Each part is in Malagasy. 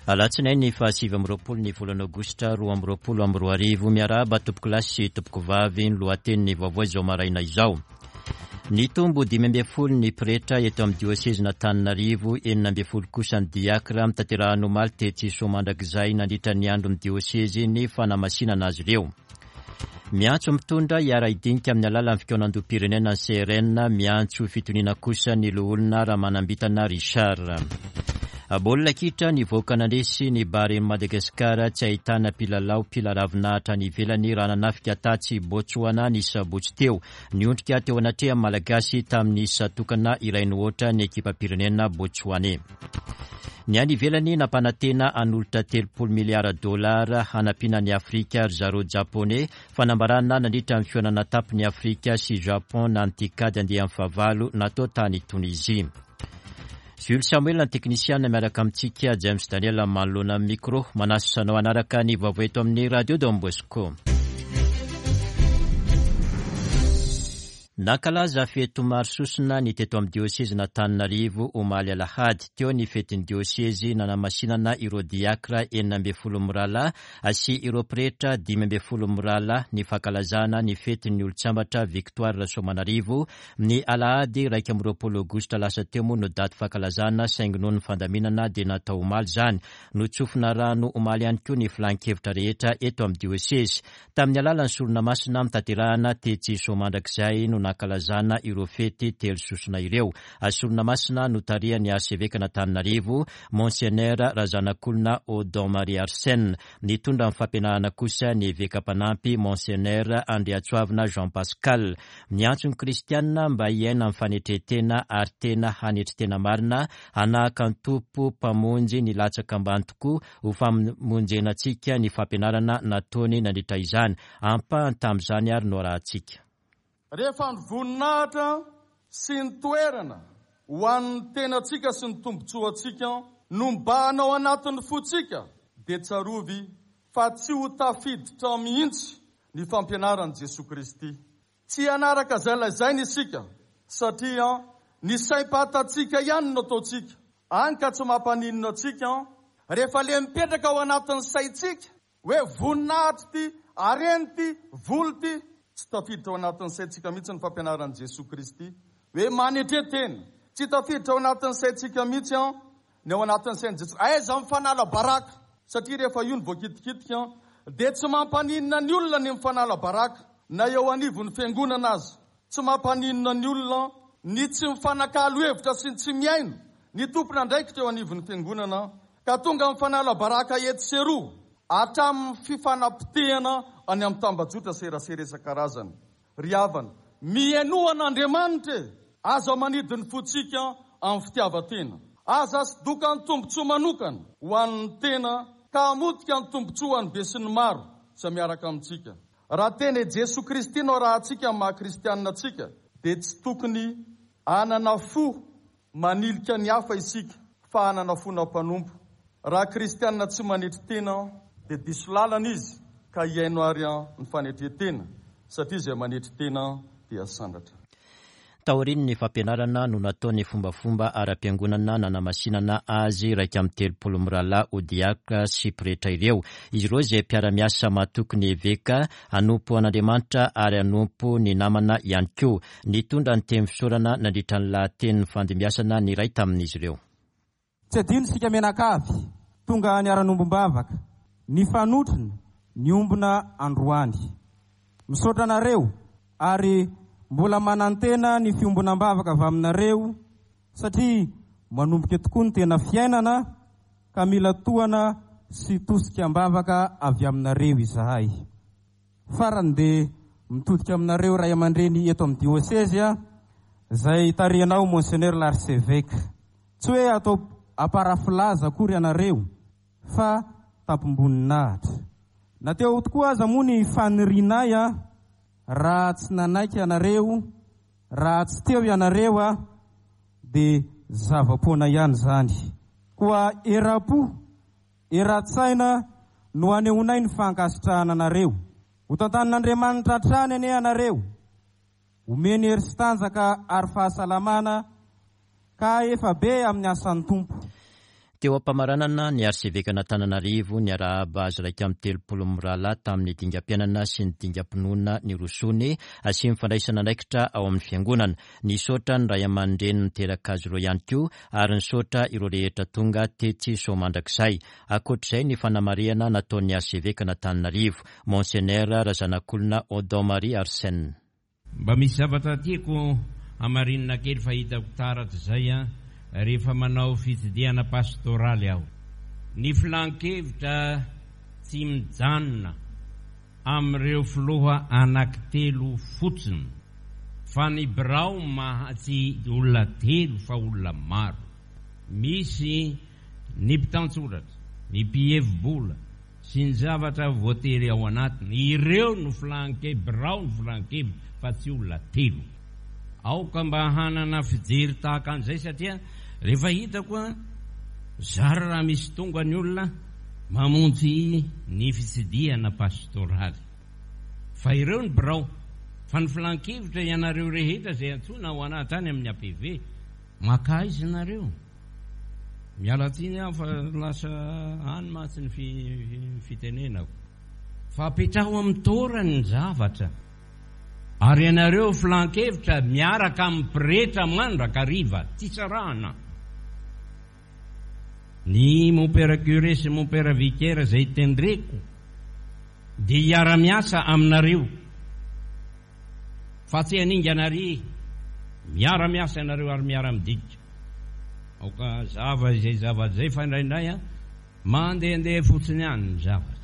Alatsinainy faha 29 ny volana aogositra 2022. Miarahaba tompokolahy sy tompokovavy, ny lohatenin'ny vaovao izao maraina izao. Nitombo 15 ny pretra eto amin'ny diosezin'Antananarivo, 16 kosa ny diakra, notanterahina omaly tetsy Soamandrakizay nandritra ny andron'ny diosezy ny fanamasinana azy ireo. Miantso mitondra hiara-hidinika amin'ny alalan'ny fikaonandoham-pirenena ny CRN, miantso fitoniana kosa ny loholona Ramanambintana Richard. Baolina kitra nivoaka nandresy ny Barea Madagascar tsy ahitana mpilalao mpila ravinahitra any ivelany raha nanafika tatsy Botsoana ny sabotsy teo. Niondrika teo anatrehan'ny Malagasy tamin'ny isa tokana iray no aotra ny ekipam-pirenena Botsoaney. Ny any ivelany nampanantena hanolotra 30 miliara dolara hanampiana an'i Afrika ry zareo Japoney, fanambarana nandritra ny fihaonana tampon'i Afrika sy Japon na ny TICAD andiany fahavalo natao tany Tonizia. Jules Samuel ny teknisiana miaraka amintsika, James Daniel manoloana ny micro. Manasa anao hanaraka ny vaovao eto amin'ny Radio Don Bosco. Nankalaza fety maro sosona ny teto amin'ny diosezin'Antananarivo omaly alahady. Teo ny fetin'ny diosezy nanamasinana ireo diakra 16 mirahalahy sy ireo pretra 15 mirahalahy, ny fankalazana ny fetin'ny olon-tsambatra Victoire Rasoamanarivo ny alahady 21 aogositra lasa teo moa no daty fankalazana saingy noho ny fandaminana dia natao omaly izany. Notsofina rano omaly ihany koa ny filan-kevitra rehetra eto amin'ny diosezy. Tamin'ny alalan'ny sorona masina notanterahana tetsy Soamandrakizay no nankalazana ireo fety telo sosona ireo. Sorona masina notarihan'ny Arsevekan'Antananarivo, Monseigneur Razanakolona Odon Marie Arsène. Nitondra ny fampianarana kosa ny Eveka mpanampy, Monseigneur Andriatsoavina Jean Pascal. Niantso ny kristianina mba hiaina amin'ny fanetren-tena ary tena hanetry tena marina, hanahaka ny Tompo Mpamonjy nilatsaka ambany tokoa ho famonjena antsika ny fampianarana nataony nandritra izany. Ampahany tamin'izany ary no arahantsika. Rehefa ny voninahitra sy ny toerana ho an'ny tenantsika sy ny tombontsoantsika no mibahana ao anatin'ny fontsika, dia tsarovy fa tsy ho tafiditra mihitsy ny fampianaran'i Jesoa Kristy. Tsy hanaraka izay lazainy isika satria ny saim-patantsika ihany no ataontsika, any ka tsy mampaninona antsika rehefa le mipetraka ao anatin'ny saintsika hoe voninahitra ity, harena ity, vola ity. Tsy tafiditra ao anatin'ny saintsika mihitsy ny fampianaran'i Jesoa Kristy hoe manetre tena. Tsy tafiditra ao anatin'ny saintsika mihitsy Ny ao anatin'ny sain'i Jesoa. Aiza mifanala baraka? Satria rehefa io no voakitikitika dia tsy mampaninona ny olona ny mifanala baraka na eo anivon'ny fiangonana aza. Tsy mampaninona ny olona ny tsy mifanakalo hevitra sy ny tsy mihaino ny tompon'andraikitra eo anivon'ny fiangonana ka tonga mifanala baraka etsy sy eroa hatramin'ny fifanapotehana any amin'ny tambajotra serasera isan-karazany. Ry havana, mihainoa an'Andriamanitra e! Aza manidy ny fontsika amin'ny fitiavan-tena. Aza asodoka ny tombontsoa manokana ho an'ny tena ka hamotika ny tombontsoan'ny besinimaro izay miaraka amintsika. Raha tena i Jesoa Kristy no arahantsika amin'ny maha-kristianina antsika, dia tsy tokony hanana fo Manilika ny hafa isika fa hanana fona mpanompo. Raha kristiana tsy manetry tena dia diso lalana izy ka hihaino ary ny fanetren-tena satria izay manetry tena dia sandratra. Taorian'ny fampianarana no natao ny fombafomba ara-piangonana nanamasinana azy 31 mirahalahy ho diakra sy pretra ireo. Izy ireo izay mpiara-miasa mahatoky ny eveka, hanompo an'Andriamanitra ary hanompo ny namana ihany koa. Nitondra ny teny fisaorana nandritra ny lahatenin'ny fandimbiasana ny iray tamin'izy ireo. Tsy adino isika mianakavy tonga niara-niombom-bavaka, nifanotrona, niombona androany. Misaotra anareo ary mbola manantena ny fiombonam-bavaka avy aminareo satria manomboka tokoa ny tena fiainana ka mila tohana sy tosika am-bavaka avy aminareo izahay. Farany dia mitodika aminareo ray aman-dreny eto amin'ny diosezy izay tarihanao Monseigneur l'Archevêque. Tsy hoe atao aparafilaza akory ianareo fa tampom-boninahitra. Na teo tokoa aza moa ny fanirianay raha tsy nanaiky ianareo, raha tsy teo ianareo dia zava-poana ihany izany. Koa eram-po Eran-tsaina no anehoanay ny fankasitrahana anareo. Ho tantanin'Andriamanitra hatrany anie ianareo. Omeny hery sy tanjaka ary fahasalamana ka hahefa be amin'ny asan'ny Tompo. Teo am-pamaranana, ny Arsevekan'Antananarivo niarahaba azy 31 mirahalahy tamin'ny dingam-piainana sy ny dingam-pinoana nirosoany sy ny fandraisana andraikitra ao amin'ny Fiangonana. Nisaotra ny ray aman-dreny niteraka azy ireo ihany koa ary nisaotra ireo rehetra tonga tetsy Soamandrakizay. Ankoatr'izay ny fanamarihana nataon'ny Arsevekan'Antananarivo, Monseigneur Razanakolona Odon Marie Arsène. Mba misy zavatra tiako hamarinina kely fa hitako taratra izay an, rehefa manao fitsidihana pastoraly aho. Ny filan-kevitra tsy mijanona amin'ireo filoha anankitelo fotsiny fa ny birao maha tsy olona telo fa olona maro. Misy ny mpitantsoratra, ny mpihevi-bola, sy ny zavatra voatery ao anatiny, ireo no filan-ke, birao no filan-kevitra fa tsy olona telo. Aoka mba hanana fijery tahaka an'izay satria rehefa hitako an, zara raha misy tonga ny olona mamonjy ny fitsidihana pastoraly. Fa ireo ny birao, fa ny filan-kevitra ianareo rehetra izay antsoina ao anaty any amin'ny APV, maka aiza nareo? Miala tsiny aho fa lasa any mantsy ny fitenenako. Fa apetraho amin'ny toerany ny zavatra. Ary ianareo filan-kevitra miaraka amin'ny pretra mandrakariva, tsy sarahana. Ny mompera curé sy mompera vicaire izay tendreko dia hiara-miasa aminareo. Fa tsy haningana àry, miara-miasa ianareo ary miara-midika. Aoka hazava izay zavatra izay fa indraindray an, mandehandeha fotsiny any ny zavatra.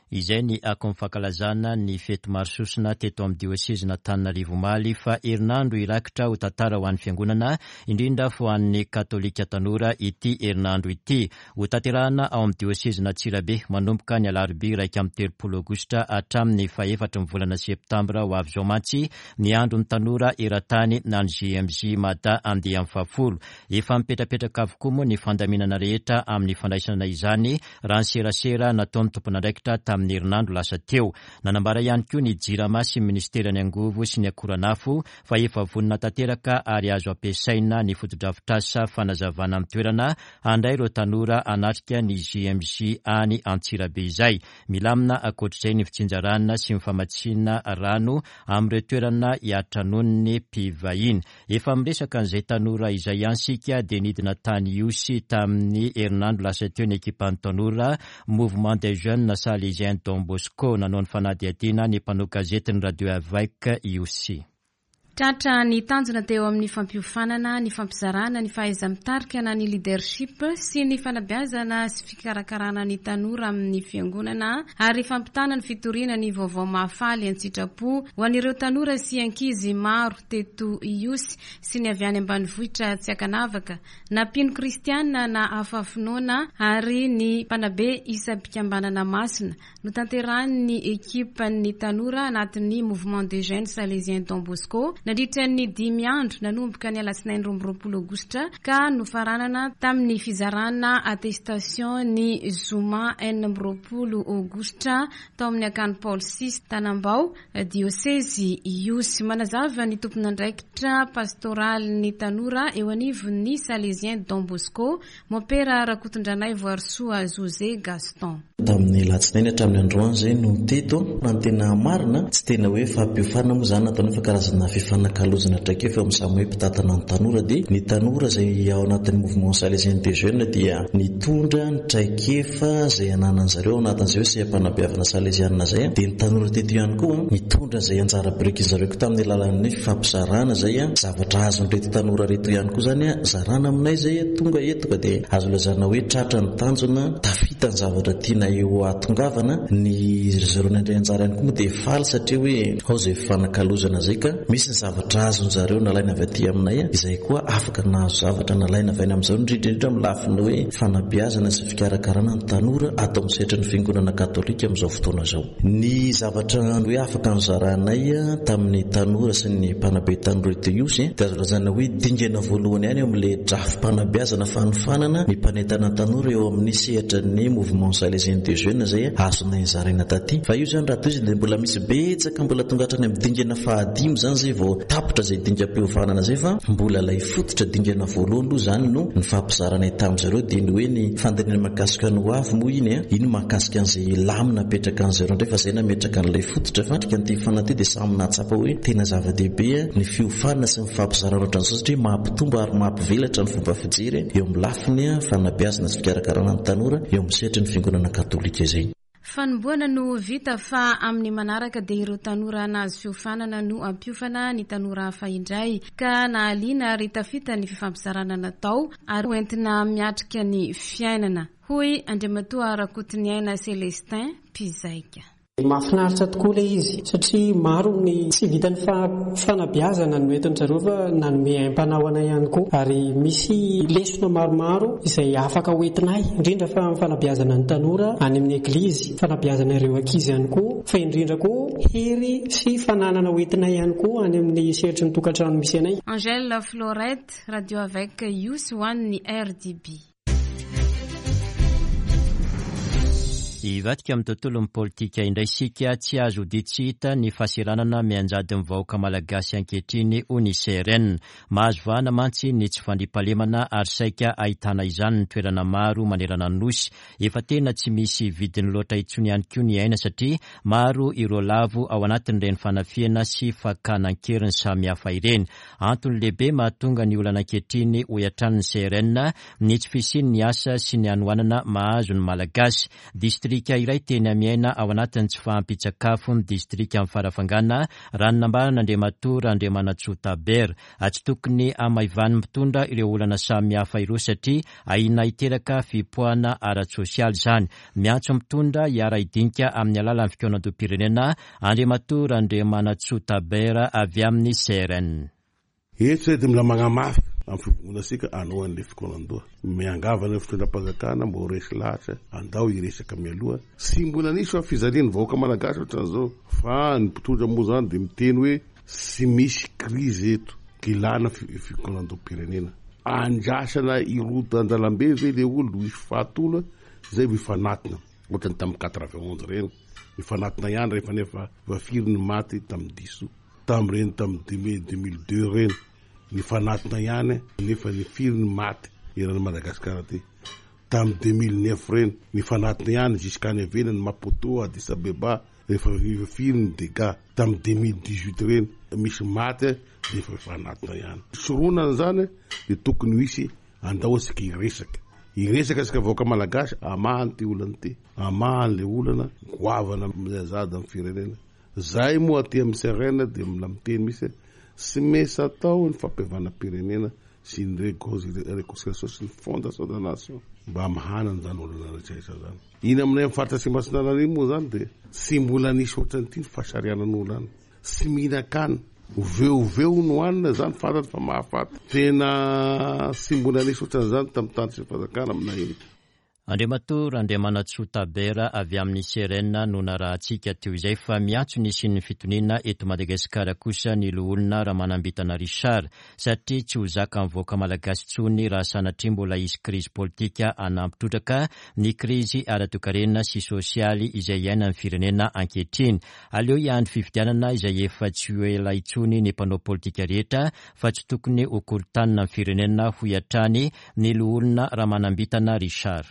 Izay ny akon'ny fankalazana ny fety maro sosona teto amin'ny diosezin'Antananarivo omaly fa herinandro hirakitra ho tantara ho an'ny Fiangonana, indrindra ho an'ny Katolika tanora ity herinandro ity. Hotanterahana ao amin'ny diosezin'Antsirabe manomboka ny alarobia 31 aogositra hatramin'ny fahefatry ny volana septambra ho avy izao mantsy ny andron'ny tanora eran-tany na ny JMJ Mada andiany fahafolo. Efa mipetrapetraka avokoa moa ny fandaminana rehetra amin'ny fandraisana izany raha ny serasera nataon'ny tompon'andraikitra tamin'ny herinandro lasa teo. Nanambara ihany koa ny Jirama sy ny minisiteran'ny angovo sy ny akoranafo fa efa vonona tanteraka ary azo ampiasaina ny fotodrafitrasa fanazavana amin'ny toerana Handray ireo tanora hanatrika ny JMJ any Antsirabe izay. Milamina ankoatr'izay ny fitsinjarana sy ny famatsiana rano amin'ireo toerana hiatranoan'ny mpivahiny. Efa miresaka an'izay tanora izay ihany isika dia nidina tany Ihosy tamin'ny herinandro lasa teo ny ekipan'ny tanora Mouvement des Jeunes Salésiens Don Bosco nanao ny fanadihadiana ny mpanao gazetin'ny Radio Avec Ihosy. Tratra ny tanjona teo amin'ny fampiofanana, ny fampizarana ny fahaiza-mitarika na ny leadership sy ny fanabeazana sy fikarakarana ny tanora amin'ny fiangonana ary fampitana ny fitoriana ny vaovao mahafaly an-tsitrapo ho an'ireo tanora sy ankizy maro teto Ihosy sy ny avy any ambanivohitra tsy ankanavaka na mpino kristiana na hafa finoana ary ny mpanabe isam-pikambanana masina Notanterahin'ny ekipan'ny tanora anatin'ny Mouvement des Jeunes Salésiens Don Bosco nandritra ny dimy andro nanomboka ny alatsinainy 22 aogositra ka nofaranana tamin'ny fizarana attestation ny zoma 26 aogositra tao amin'ny Akany Paoly vi Tanambao, Diosezy Ihosy. Manazava ny tompon'andraikitra pastoralin'ny tanora eo anivon'ny Salésien Don Bosco, Mompera Rakotondranaivoarisoa José Gaston. Tamin'ny alatsinainy hatramin'ny androany izay no teto. Raha ny tena marina, tsy tena hoe fampiofanana moa izany nataonay fa karazana fifanakalozana traikefa eo amin'ny samy hoe mpitantana ny tanora dia ny tanora izay ao anatin'ny mouvement salésien des jeunes dia nitondra ny traikefa izay ananan'ny zareo ao anatin'izay hoe seha-panabeavana salezianina izay dia ny tanora teto ihany koa nitondra izay anjara birikin'ny zareo koa tamin'ny alalan'ny fifampizarana izay zavatra azon'ireto tanora ireto ihany koa izany zarana aminay izay tonga eto ka dia azo lazaina hoe tratra ny tanjona tafita ny zavatra tiana eo ahatongavana, ny ry zareo nandray anjara ihany koa moa dia faly satria hoe ao izay fifanakalozana izay ka misy ny zavatra azon zareo nalaina avy aty aminay izay koa afaka nahazo zavatra nalaina avy any amin'izao indrindra indrindra amin'ny lafiny hoe fanabeazana sy fikarakarana ny tanora ato amin'ny sehatry ny fiangonana katolika amin'izao fotoana izao. Ny zavatra hoe afaka nozaranay tamin'ny tanora sy ny mpanabe tanora eto Ihosy dia azo lazaina hoe dingana voalohany ihany eo amin'ilay drafi-panabeazana fanofanana ny mpanentana tanora eo amin'ny sehatra ny Mouvement Salésien des Jeunes izay azonay nozaraina taty. Fa io izany raha tohizina dia mbola misy betsaka mbola tonga hatrany amin'ny dingana fahadimy izany izay vao. vao tapitra izay dingam-piofanana izay fa mbola ilay fototra dingana voalohany aloha izany no nifampizaranay tamin-dry zareo dia ny hoe ny fandinihana mahakasika ny ho avy moa iny an, iny mahakasika an'izay lamina apetraka an-dry zareo indray fa izay nametraka an'ilay fototra fa ity fiofanana ity dia samy nahatsapa hoe tena zava-dehibe ny fiofanana sy ny fampizarana ohatran'izao satria mampitombo ary mampivelatra ny fomba fijery eo amin'ny lafiny fanabeazana sy fikarakarana ny tanora eo amin'ny sehatry ny fiangonana katolika izay. Fanombohana no vita fa amin'ny manaraka dia ireo tanora nahazo fiofanana no hampiofana ny tanora hafa indray ka nahaliana ary tafita ny fifampizarana natao ary hoentina miatrika ny fiainana, hoy Andriamatoa Rakotoniaina Celestin, mpizaika. Mahafinaritra tokoa ilay izy satria maro ny tsy vitan'ny fanabeazana no entin-dry zareo fa nanome aim-panahy ho anay ihany koa ary misy lesona maromaro izay afaka ho entinay indrindra fa amin'ny fanabeazana ny tanora any amin'ny eglizy, fanabeazana ireo ankizy ihany koa fa indrindra koa hery sy fananana ho entinay ihany koa any amin'ny sehatry ny tokantrano misy anay. Angèle Florette, Radio avec Ihosy ho an'ny RDB. Hivadika amin'ny tontolon'ny politika indray isika, tsy azo odian tsy hita ny fahaseranana mianjady ny vahoaka malagasy ankehitriny, hoy ny CRN. Mahazo vahana mantsy ny tsy fandriampahalemana ary saika ahitana izany ny toerana maro manerana ny Nosy. Efa tena tsy misy vidiny loatra intsony ihany koa ny aina satria maro ireo lavo ao anatin'ireny fanafihana sy fakana an-keriny samihafa ireny. Antony lehibe mahatonga ny olana ankehitriny, hoy hatrany ny CRN, ny tsy fisian'ny asa sy ny hanoanana mahazo ny Malagasy. Distrika iray teny Amiaina ao anatin'ny tsy fahampian-tsakafo ny distrikan'i Farafangana, raha ny nambaran'Andriamatoa Randriamanantsoa Tabera. Tsy tokony hamaivanin'ny mpitondra ireo olana samihafa ireo satria ahiana hiteraka fipoahana ara-tsosialy izany. Miantso mpitondra hiara-hidinika amin'ny alalan'ny fikaonandoham-pirenena Andriamatoa Randriamanantsoa Tabera avy amin'ny CRN. Eto izay dia mila magnamafy amin'ny fivongonantsika hanao an'ilay fikaonandoha. Miangavy an'ireo fitondram-panjakana mba ho resy lahatra andao hiresaka mialoha. Tsy mbola nisy fa fijalian'ny vahoaka malagasy ohatran'izao fa ny mpitondra moa izany dia miteny hoe tsy misy krizy eto ilana fikaonandoham-pirenena. Andrasana hiroda an-dalambe ve ilay olona hisy faty olona izay vao hifanatona ohatran'ny tamin'ny 91 ireny. Mifanatona ihany rehefa nefa efa firy ny maty tamin'ny diso tamin'ireny tamin'ny 2002 ireny. Mifanatona ihany nefa ny firy ny maty eran'i Madagasikara aty. Tamin'ny 2009 ireny mifanatona ihany jusqu'any ivelany Maputo, Addis Abeba rehefa efa firy ny dégâts. Tamin'ny 2018 ireny misy maty dia efa mifanatona ihany. Soronana izany dia tokony ho hisy Andao isika hiresaka. Hiresaka isika vahoaka malagasy hamaha an'ity olana ity. Hamaha an'ilay olana goavana miazada amin'ny firenena. Zahay moa aty amin'ny CRN dia mbola miteny mihitsy hoe tsy maintsy atao ny fampihavanam-pirenena sy ny réconciliation sy ny fondation de la nation mba hamahana an'izany olana rehetra rehetra izany. Iny aminay amin'ny faritra Atsimo Atsinanana iny moa izany dia tsy mbola nisy ohatran'ity ny fahasarihanan'olona any. Tsy mihinan-kanina. Oveoveo no hanina izany fantany fa mahafaty. Tena tsy mbola nisy ohatran'izany tamin'ny tany sy ny fanjakana aminay iny. Andriamatoa Randriamanantsoa Tabera avy amin'ny CRN no narahantsika teo izay fa miantso ny hisian'ny fitoniana eto Madagasikara kosa ny Loholona Ramanambintana Richard satria tsy ho zakan'ny vahoaka malagasy intsony raha sanatria mbola hisy krizy politika hanampy trotraka ny krizy ara-toekarena sy sosialy izay iainan'ny firenena ankehitriny. Aleo hiandry fifidianana izay efa tsy ho ela intsony ny mpanao politika rehetra fa tsy tokony ho korontanina ny firenena, hoy hatrany ny loholona Ramanambintana Richard.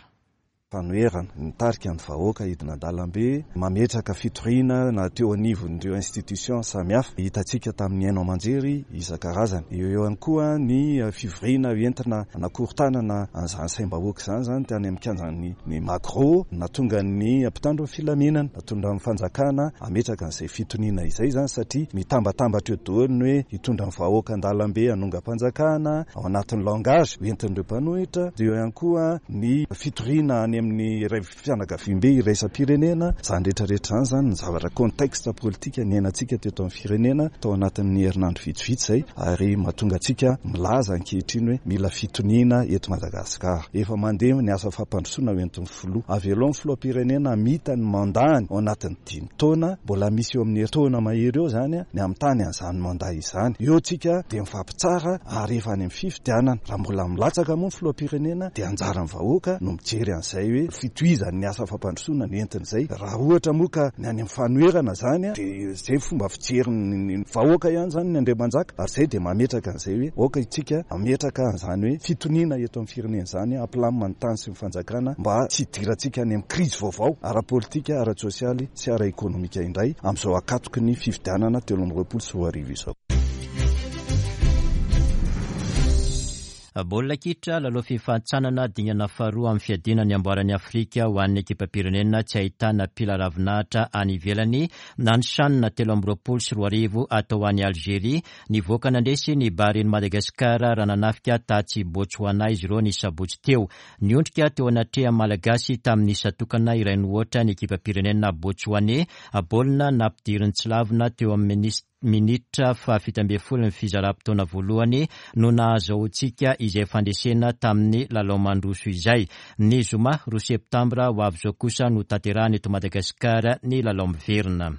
Fanoherana, nitarika ny vahoaka hidina an-dalambe, mametraka fitoriana na teo anivon'ireo institutions samihafa hitantsika tamin'ny haino aman-jery isan-karazany. Eo ihany koa ny fivoriana entina hanakorontanana an'izany saim-bahoaka izany izany tany amin'ny kianjan'ny Magro, nahatonga ny mpitandro ny filaminana. Hitondra ny fanjakana hametraka an'izay fitoniana izay izany satria mitambatambatra eo daholo ny hoe hitondra ny vahoaka an-dalambe hanongam-panjakana ao anatin'ny langage hoentin'ireo mpanohitra, dia eo ihany koa ny fitoriana any amin'ny iray fianakaviambe iraisam-pirenena, izany rehetra rehetra izany izany ny zavatra contexte politika niainantsika teto amin'ny firenena tao anatin'ny herinandro vitsivitsy izay ary mahatonga antsika milaza ankehitriny hoe mila fitoniana eto Madagasikara. Efa mandeha ny asa fampandrosoana hoentin'ny Filoha. Avelao ny Filoham-pirenena hamita ny mandat-ny ao anatin'ny dimy taona, mbola misy eo amin'ny herintaona mahery eo izany ny hamitany an'izany mandat izany. Eo tsika dia mifampitsara ary efa any amin'ny fifidianana. Raha mbola milatsaka moa ny Filoham-pirenena dia anjaran'ny vahoaka no mijery an'izay an'izay hoe fitohizan'ny asa fampandrosoana no entin'izay. Raha ohatra moa ka ny any amin'ny fanoherana izany dia izay fomba fijerin'ny vahoaka ihany izany ny Andriamanjaka ary izay dia mametraka an'izay hoe aoka isika hametraka an'izany hoe fitoniana eto amin'ny firenena izany, hampilamina ny tany sy ny fanjakana mba tsy hidirantsika any amin'ny krizy vaovao ara-politika, ara-tsosialy sy ara-ekonomika indray amin'izao ankatoky ny fifidianana 2023 izao. Baolina kitra, lalao fifanintsanana dingana faharoa amin'ny fiadiana ny amboaran'i Afrika ho an'ny ekipam-pirenena tsy ahitana mpila ravinahitra any ivelany na ny Chan 2023 atao any Algeria. Nivoaka nandresy ny Baren'i Madagasikara raha nanafika tatsy Botswana izy ireo ny sabotsy teo. Niondrika teo anatrehan'ny Malagasy tamin'ny isa tokana iray no ohatra ny ekipam-pirenena Botsoaney. Baolina nampidirin'i Tsilavina teo amin'ny minitra faha-17 ny fizaram-potoana voalohany no nahazahoantsika izay fandresena tamin'ny lalao mandroso izay. Ny zoma roa septambra ho avy izao kosa no tanterahana eto Madagasikara ny lalao miverina.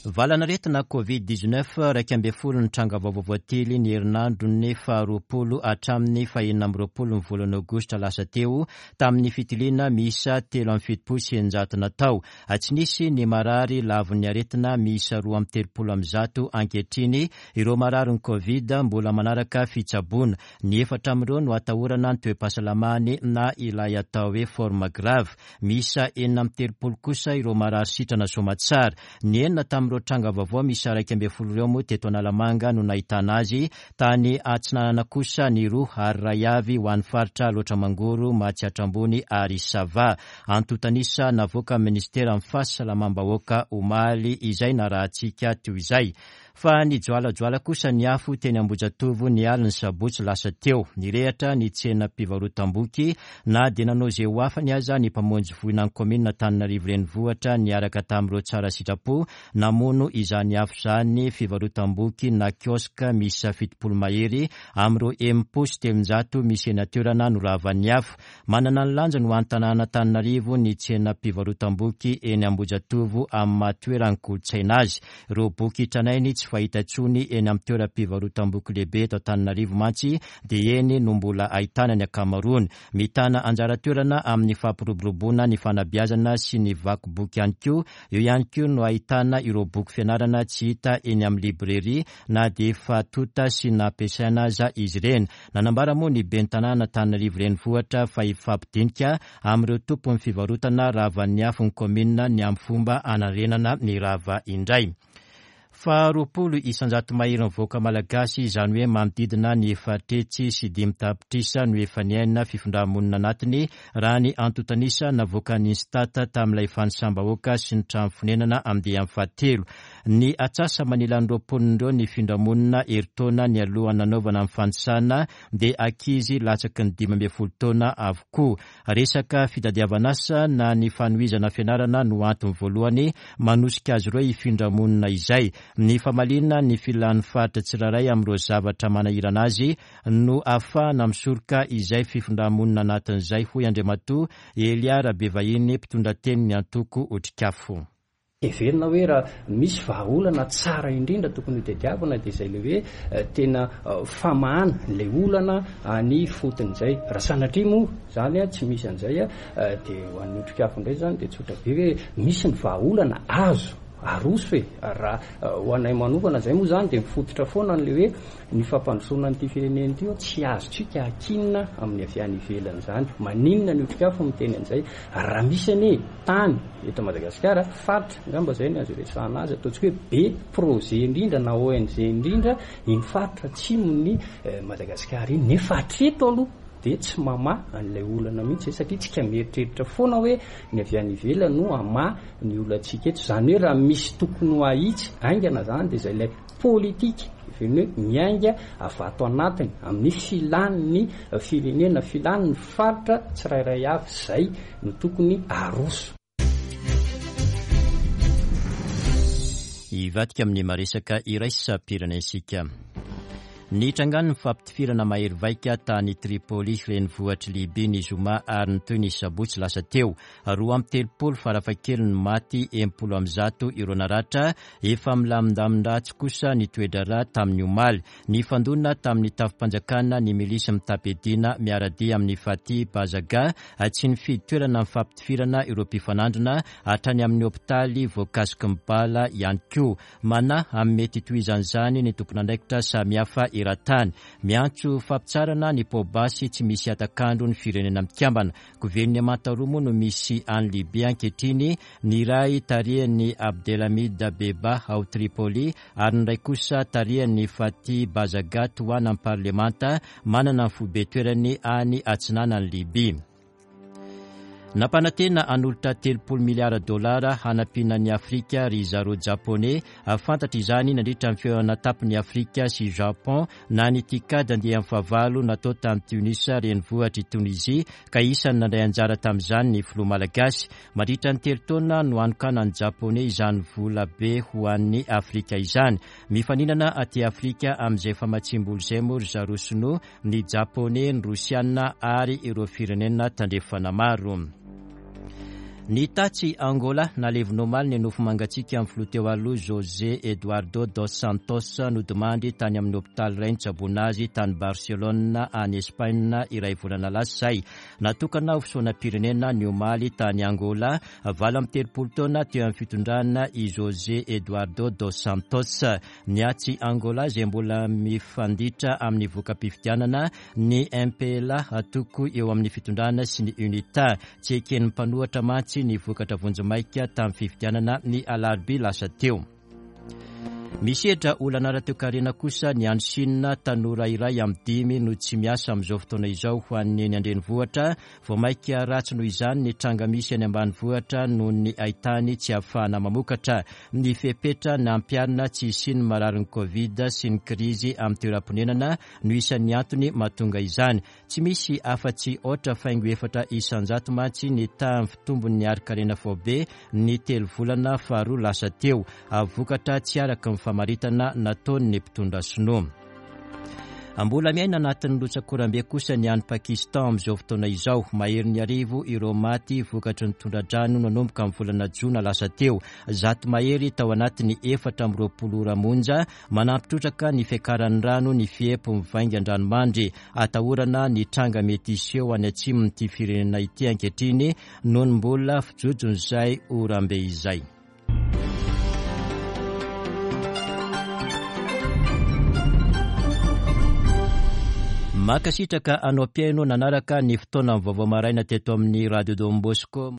Valanaretina Covid 19, 11 ny tranga vaovao voatily ny herinandron'ny faharoapolo hatramin'ny fahenina amby roapolo ny volana aogositra lasa teo tamin'ny fitiliana miisa 673 natao. Tsy nisy ny marary lavon'ny aretina miisa 132 ankehitriny ireo mararin'ny Covid mbola manaraka fitsaboana. Ny efatra amin'ireo no atahorana ny toe-pahasalamany na ilay atao hoe forme grave. Miisa 36 kosa ireo marary sitrana soamatsara. Ny enina tamin'ireo tranga vaovao miisa 11 ireo moa teto Analamanga no nahitana azy, tany Atsinanana kosa ny roa ary iray avy ho an'ny faritra Alaotra Mangoro, Matsiatra Ambony ary Sava. Antontan'isa navoakan'ny minisiteran'ny Fahasalamam-bahoaka omaly izay narahantsika teo izay. Fa nijoalajoala kosa ny afo teny Ambohijatovo ny alin'ny sabotsy lasa teo. Nirehatra ny tsenam-pivarotam-boky na dia nanao izay ho afany aza ny mpamonjy voina ny kaominina Antananarivo Renivohitra niaraka tamin'ireo tsara sitrapo namono izany afo izany fivarotam-boky na kiosque miisa 70 mahery amin'ireo 360 misy eny an-toerana no ravan'ny afo. Manana ny lanjany ho an'ny tanàn'Antananarivo ny tsenam-pivarotam-boky eny Ambohijatovo amin'ny maha toeran'ny kolontsaina azy. Ireo boky tranainy tsy fahita intsony eny amin'ny toeram-pivarotam-boky lehibe eto Antananarivo mantsy dia eny no mbola ahitana ny ankamaroany. Mitana anjara toerana amin'ny fampiroboroboana ny fanabeazana sy ny vaky boky ihany koa. Eo ihany koa no ahitana ireo boky fianarana tsy hita eny amin'ny librairie na dia efa tonta sy nampiasaina aza izy ireny. Nanambara moa ny ben'ny tanàna Antananarivo Renivohitra fa hifampidinika amin'ireo tompon'ny fivarotana ravan'ny afo ny kaominina ny amin'ny fomba hanarenana ny rava indray. Faha 20% maherin'ny vahoaka malagasy, izany hoe manodidina ny 504 tapitrisa no efa niaina fifindra-monina anatiny, raha ny antontan'isa navoakan'ny Instat tamin'ilay fanisam-bahoaka sy ny trano fonenana andiany fahatelo. Ny atsasa-manilan'ireo mponina ireo nifindra-monina herintaona nialohan'ny nanaovana ny fanisana dia ankizy latsaky ny 15 taona avokoa. Resaka fitadiavan'asa na ny fanohizana fianarana no antony voalohany manosika azy ireo hifindra monina izay. Ny famaliana ny filan'ny faritra tsirairay amin'ireo zavatra manahirana azy no ahafahana misoroka izay fifindra-monina anatin'izay, hoy Andriamatoa Elia Rabevahiny, mpitondra tenin'ny antoko Otrikafo. Heverina hoe raha misy vahaolana tsara indrindra tokony hotadiavina dia izay ilay hoe tena famahana ilay olana any ifotony izay. Raha sanatria moa izany tsy misy an'izay dia ho an'ny Otrikafo indray izany dia tsotra be hoe misy ny vahaolana azo aroso e! Raha ho anay manokana izay moa izany dia mifototra foana an'ilay hoe ny fampandrosoana an'ity firenena ity tsy azontsika akinina amin'ny avy any ivelany izany. Maninona ny Otrikafo miteny an'izay? Raha misy anie tany eto Madagasikara, faritra angamba izay no azo iresahana azy, ataontsika hoe be projet indrindra na ONG indrindra iny faritra atsimon'i Madagasikara iny, nefa hatreto aloha dia tsy mamaha an'ilay olana mihitsy izay satria tsika mieritreritra foana hoe ny avy any ivelany no hamaha ny olantsika eto, izany hoe raha misy tokony ho ahitsy haingana izany dia izay ilay politika, heverina hoe miainga avy ato anatiny amin'ny filan'ny firenena, filan'ny faritra tsirairay avy, izay no tokony aroso. Hivadika amin'ny maresaka iraisam-pirenena isika. Nitrangan'ny fifampitifirana mahery vaika tany Tripoli, renivohitr'i Libya ny zoma ary nitohy ny sabotsy lasa teo. 32 farafahakeliny ny maty, 160 ireo naratra, efa milamindamin-dratsy kosa ny toe-draharaha tamin'ny omaly. Nifandona tamin'ny tafi-panjakana ny milisy mitam-piadiana miara-dia amin'i Fathi Bazaga, tsy nifidy toerana nifampitifirana ireo mpifanandrina, hatrany amin'ny hopitaly voakasiky ny bala ihany koa. Manahy amin'ny mety hitohizan'izany ny tompon'andraikitra samihafa eran-tany. Miantso fampitsaharana ny poa-basy tsy misy hatak'andro ny Firenena Mikambana. Governemanta roa moa no misy any Libya ankehitriny, ny iray tarihan'i Abdelhamid Dabeiba ao Tripoli ary ny iray kosa tarihan'i Fathi Bazaga tohanan'ny parlemanta manana ny foibe toerany any atsinanan'i Libya. Nampanantena hanolotra 30 miliara dolara hanampiana an'i Afrika ry zareo Japoney. Fantatra izany nandritra ny fihaonana tapon'i Afrika sy Japon na ny TICAD andiany fahavalo natao tany Tunis renivohitr'i Tonizia ka isan'ny nandray anjara tamin'izany ny filoha malagasy. Mandritra ny telo taona no hanokanan'ny Japoney izany vola be ho an'i Afrika izany. Mifaninana aty Afrika amin'izay famatsiam-bola izay moa ry zareo Sinoa ny Japoney, ny Rosiana ary ireo firenena tandrefana maro. Ny tatsy Angola, nalevina omaly ny nofo mangatsiaka amin'ny filoha teo aloha José Eduardo dos Santos nodimandry tany amin'ny hopitaly iray nitsaboana azy tany Barcelone any Espaina iray volana lasa izay. Natokana ho fisaonam-pirenena ny omaly tany Angola, 38 taona teo amin'ny fitondrana i José Eduardo dos Santos. Ny atsy Angola izay mbola mifanditra amin'ny voka-pifidianana, ny MPLA atoko eo amin'ny fitondrana sy ny UNITA. Tsy eken'ny mpanohatra mantsy ny vokatra vonjimaika tamin'ny fifidianana ny alarobia lasa teo. Misedra olana ara-toekarena kosa ny any Chine, tanora iray amin'ny dimy no tsy miasa amin'izao fotoana izao ho an'ny eny an-drenivohitra. Vao mainka ratsy noho izany ny tranga misy any ambanivohitra noho ny haitany tsy ahafahana mamokatra. Ny fepetra nampiharina tsy hisian'ny mararin'ny Covid sy ny krizy amin'ny toeram-ponenana no isan'ny antony mahatonga izany. Tsy misy afa-tsy aotra faingo efatra isan-jato mantsy ny tahan'ny fitombon'ny harin-karena faobe ny telo volana faharoa lasa teo, vokatra tsy araka ny famaritana nataon'ny mpitondra sinoa. Mbola miaina anatin'ny rotsak'oram-be kosa ny any Pakistan amin'izao fotoana izao. Maherin'ny arivo ireo maty vokatry ny tondra-drano nanomboka ny volana jona lasa teo. Zato mahery tao anatin'ny 24 ora monja. Manampy trotraka ny fiakaran'ny rano ny fiepo mivaingan-dranomandry. Atahorana ny tranga mety hiseho any atsimon'ity firenena ity ankehitriny noho ny mbola fijojon'izay oram-be izay. Mankasitraka anao mpihaino nanaraka ny fotoanan'ny vaovao maraina teto amin'ny Radio Don Bosco.